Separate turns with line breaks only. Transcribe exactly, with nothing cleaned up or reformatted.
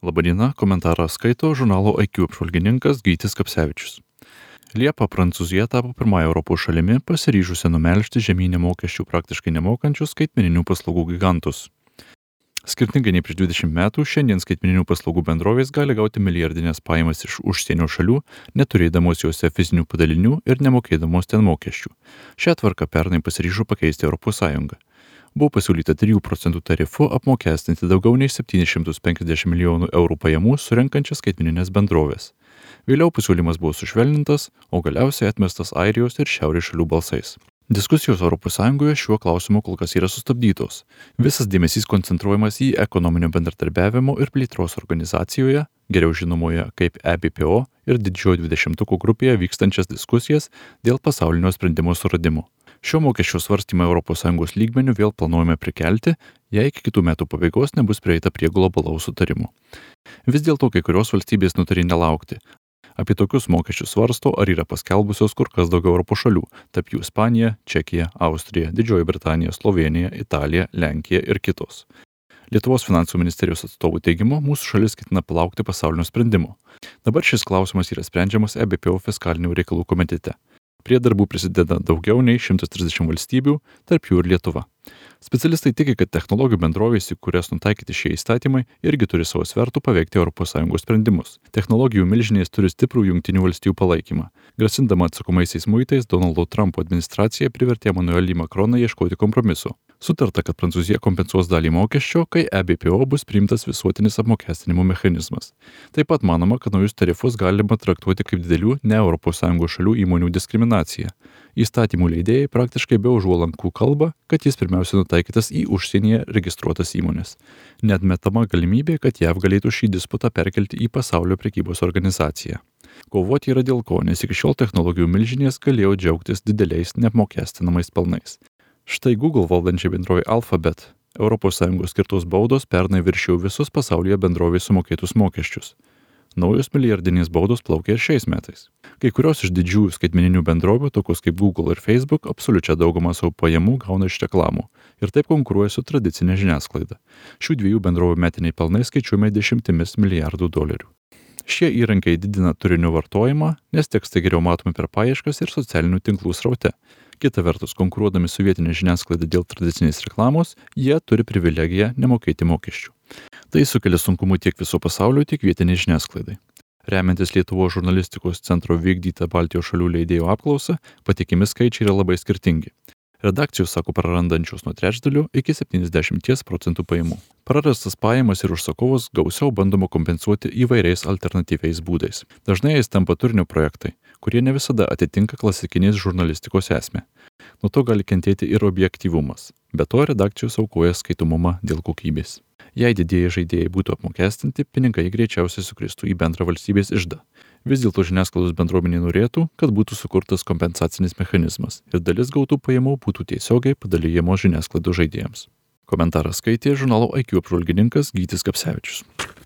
Labadiena, komentarą skaito žurnalo I Q apžvalgininkas Gytis Kapsevičius. Liepą Prancūzija tapo pirmąją Europos šalimi pasiryžusią numelžti žemynę mokesčių praktiškai nemokančius skaitmeninių paslaugų gigantus. Skirtingai nei prieš dvidešimt metų, šiandien skaitmeninių paslaugų bendrovės gali gauti milijardinės pajamas iš užsienio šalių, neturėdamos juose fizinių padalinių ir nemokėdamos ten mokesčių. Šią tvarką pernai pasiryžo pakeisti Europos Sąjungą. Buvo pasiūlyta trijų procentų tarifu apmokestinti daugiau nei septynis šimtus penkiasdešimt milijonų eurų pajamų surenkančias skaitmeninės bendrovės. Vėliau pasiūlymas buvo sušvelnintas, o galiausiai atmestas Airijos ir Šiaurės šalių balsais. Diskusijos Europos Sąjungoje šiuo klausimu kol kas yra sustabdytos. Visas dėmesys koncentruojamas į ekonominio bendradarbiavimo ir plėtros organizacijoje, geriau žinomoje kaip E B P O ir didžiojo dvidešimtuko grupėje vykstančias diskusijas dėl pasaulinio sprendimo suradimo. Šio mokesčio svarstymą Europos Sąjungos lygmeniu vėl planuojame prikelti, jei iki kitų metų pabaigos nebus prieita prie globalaus sutarimo. Vis dėlto kai kurios valstybės nutarė nelaukti. Apie tokius mokesčius svarsto ar yra paskelbusios kur kas daugiau Europos šalių, tarp jų Ispanija, Čekija, Austrija, Didžioji Britanija, Slovėnija, Italija, Lenkija ir kitos. Lietuvos finansų ministerijos atstovų teigimu, mūsų šalis ketina palaukti pasaulinio sprendimo. Dabar šis klausimas yra sprendžiamas E B P O fiskalinių reikalų komitete. Prie darbų prisideda daugiau nei šimtas trisdešimt valstybių, tarp jų ir Lietuva. Specialistai tiki, kad technologijų bendrovės, į kurias nutaikyti šie įstatymai, irgi turi savo svertų paveikti Europos Sąjungos sprendimus. Technologijų milžinės turi stiprų Jungtinių valstijų palaikymą. Grasindama atsakomaisiais muitais, Donaldo Trumpo administracija privertė Emmanuelį Macroną ieškoti kompromiso. Sutarta, kad Prancūzija kompensuos dalį mokesčio, kai E B P O bus priimtas visuotinis apmokestinimo mechanizmas. Taip pat manoma, kad naujus tarifus galima traktuoti kaip didelių ne Europos Sąjungos šalių įmonių diskriminaciją. Įstatymų leidėjai praktiškai be užuolankų kalba, kad jis pirmiausia nutaikytas į užsienyje registruotas įmonės. Neatmetama galimybė, kad J A V galėtų šį disputą perkelti į pasaulio prekybos organizaciją. Kovoti yra dėl ko, nes iki šiol technologijų milžinės galėjo džiaugtis dideliais neapmokestinamais pelnais. Štai Google valdančiai bendrovė Alphabet Europos Sąjungos skirtos baudos pernai viršijo visus pasaulyje bendrovės sumokėtus mokesčius. Naujos milijardinės baudos plaukia ir šiais metais. Kai kurios iš didžiųjų skaitmeninių bendrovių, tokios kaip Google ir Facebook, absoliučią daugumą savo pajamų gauna iš reklamų ir taip konkuruoja su tradicinė žiniasklaida. Šių dviejų bendrovių metiniai pelnai skaičiuojami dešimtimis milijardų dolerių. Šie įrankiai didina turinio vartojimą, nes tekstai geriau matomi per paieškas ir socialinių tinklų sraute. Kita vertus, konkuruodami su vietinė žiniasklaida dėl tradicinės reklamos, jie turi privilegiją nemokėti mokesčių. Tai sukelia sunkumų tiek viso pasaulio, tiek vietiniai žiniasklaidai. Remiantis Lietuvos žurnalistikos centro vykdytą Baltijos šalių leidėjų apklausą, patikimi skaičiai yra labai skirtingi. Redakcijos sako prarandančios nuo trečdalio iki septyniasdešimties procentų pajamų. Prarastas pajamas ir užsakovus gausiau bandoma kompensuoti įvairiais alternatyviais būdais. Dažnai jais tampa turinio projektai, kurie ne visada atitinka klasikinės žurnalistikos esmę. Nuo to gali kentėti ir objektyvumas. Be to redakcijos aukoja skaitomumą dėl kokybės. Jei didieji žaidėjai būtų apmokestinti, pinigai greičiausiai sukristų į bendrą valstybės iždą. Vis dėlto žiniasklaidos bendruomenė norėtų, kad būtų sukurtas kompensacinis mechanizmas ir dalis gautų pajamų būtų tiesiogiai padalijamos žiniasklaidos žaidėjams. Komentarą skaitė žurnalo I Q apžvalgininkas Gytis Kapsevičius.